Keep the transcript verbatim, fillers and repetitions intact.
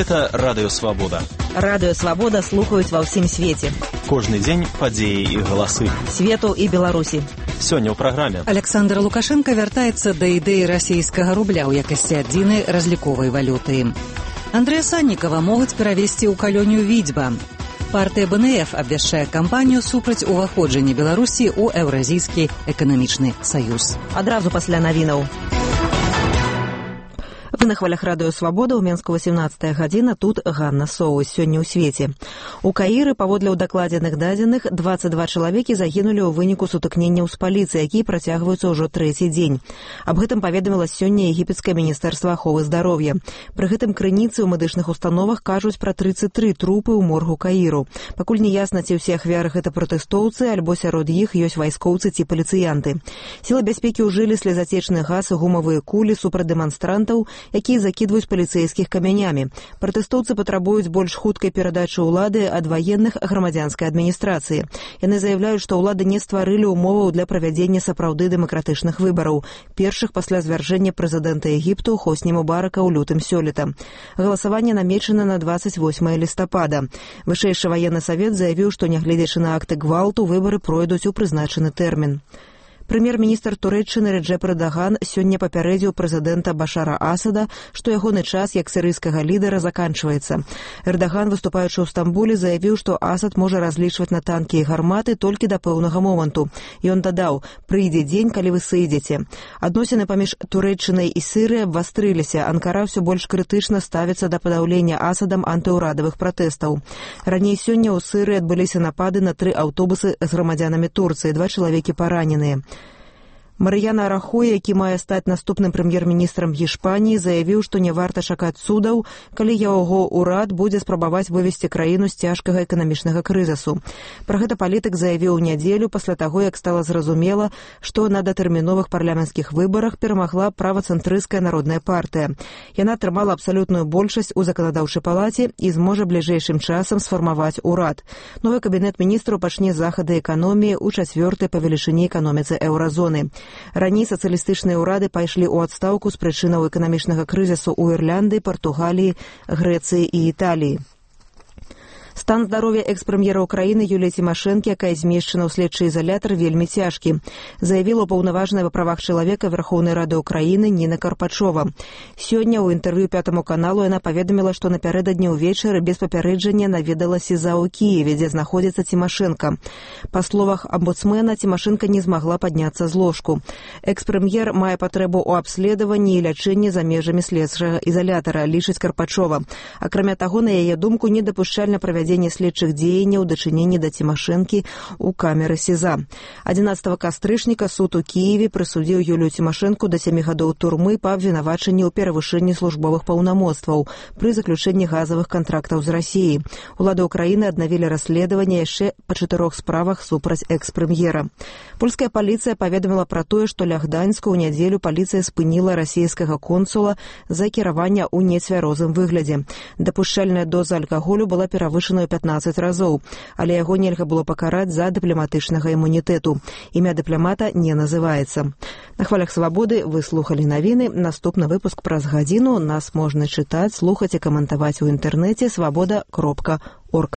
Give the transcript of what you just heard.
Гэта Радыё Свабода. Радыё Свабода слухаюць ва ўсім свеце. Кожны дзень падзеі і галасы. Свету і Беларусі. Сёння ў праграме. Александр Лукашенко вяртаецца да ідэі расійскага рубля ў якасці адзінай разліковай валюты. Андрэя Саннікава могуць перавесці ў калонію Відзьба. Партыя бэ эн эф абвяшчае кампанію супраць уваходжання Беларусі ў Еўразійскі эканамічны саюз. Адразу пасля навінаў. Вы на хвалях Радыё Свабода, ў Менску васемнаццатая гадзіна, тут Ганна Соус. Сёння ў свеце. У Каіры, паводле ўдакладзеных дадзеных, дваццаць два чалавекі загінулі ў выніку сутыкненняў з паліцыяй, якія працягваюцца ўжо трэці дзень. Аб гэтым паведаміла сёння егіпецкае міністэрства аховы здароўя. Пры гэтым крыніцы ў медычных установах кажуць пра трыццаць тры трупы ў моргу Каіру. Пакуль не ясна, ці ўсе ахвяры гэта пратэстоўцы, альбо сярод іх ёсць вайскоўцы ці паліцыянты. Сілы бяспекі ўжылі слезацечны газ і гумавыя кулі супраць дэманстрантаў, якія закідваюць паліцэйскіх камянямі. Пратэстоўцы патрабуюць больш хуткай перадачы ўлады ад ваенных грамадзянскай адміністрацыі. Яны заяўляюць, што ўлады не стварылі ўмоваў для правядзення сапраўды дэмакратычных выбараў, першых пасля звяржэння прэзідэнта Егіпту Хосні Мубарака ў лютым сёлета. Галасаванне намечана на дваццаць восьмае лістапада. Вышэйшы ваенны савет заявіў, што нягледзячы на акты гвалту, выбары пройдуць у прызначаны тэрмін. Прэм'ер-міністр Турэччыны Реджеп Эрдаган сёння папярэдзіў прэзідэнта Башара Асада, што ягоны час як сірыйскага лідара заканчваецца. Эрдаган, выступаючы ў Стамбуле, заявіў, што Асад можа разлічваць на танкі і гарматы толькі да пэўнага моманту. Ён дадаў: «Прыйдзе дзень, калі вы сыдзеце». Адносіны паміж Турэччынай і Сірыяй абвастрыліся. Анкара ўсё больш крытычна ставіцца да падаўлення Асадам антыўрадавых пратэстаў. Раней сёння ў Сірыі адбыліся напады на тры аўтобусы з грамадзянамі Турцыі, два чалавекі параненыя. Марыяна Рахой, які мае стаць наступным прэм'ер-міністрам Гішпаніі, заявіў, што не варта чакаць цудаў, калі яго ўрад будзе спрабаваць вывесці краіну з цяжкага эканамічнага крызісу. Пра гэта палітык заявіў у нядзелю пасля таго, як стала зразумела, што на датэрміновых парламенцкіх выбарах перамагла правацэнтрысцкая народная партыя. Яна атрымала абсалютную большасць у заканадаўчай палаце і зможа бліжэйшым часам сфармаваць урад. Новы кабінет міністраў пачне захады эканоміі ў чацвёртай па велічыні эканоміцы еўразоны. Раней сацыялістычныя ўрады пайшлі ў адстаўку з прычынаў эканамічнага крызісу ў Ірландыі, Партугаліі, Грэцыі і Італіі. Стан здароўя экс-прэм'ера ўкраіны Юліі Цімашэнкі, якая змешчана ў следчы ізалятар, вельмі цяжкі, заявіла паўнаважная па правах чалавека Верхоўнай Рады ўкраіны Ніна Карпачова. Сёння ў інтэрв'ю Пятаму каналу яна паведаміла, што напярэдадні ўвечары без папярэджання наведалася СІЗА ў Кіеве, дзе знаходзіцца Цімашэнка. Па словах амбудсмена, Цімашэнка не змагла падняцца з ложку. Экс-прэм'ер мае патрэбу ў абследаванні і лячэнні за межамі следчага ізалятара, лічыць Карпачова. Акрамя таго, на яе думку, недапушчальна правядзенне следчых дзеянняў у дачыненні да Цімашэнкі ў камеры СІЗА. адзінаццатага кастрычніка суд у Кіеве прысудзіў Юлію Цімашэнку да сямі гадоў турмы па абвінавачанні ў перавышэнні службовых паўнамоцтваў пры заключэнні газавых кантрактаў з Расіяй. Улады ўкраіны аднавілі расследаванне яшчэ па чатырох справах супраць экс-прэм'ера. Польская паліцыя паведаміла пра тое, што ля Гданьску ў нядзелю паліцыя спыніла расійскага консула за кіраванне ў нецвярозым выглядзе. Дапушчальная доза алкаголю была перавышана пятнаццаць разоў, але яго нельга было пакараць за дыпламатычнага імунітэту. Імя дыпламата не называецца. На хвалях Свабоды вы слухалі навіны. Наступны выпуск праз гадзіну. Нас можна чытаць, слухаць і каментаваць у інтэрнэце свабода кропка орг.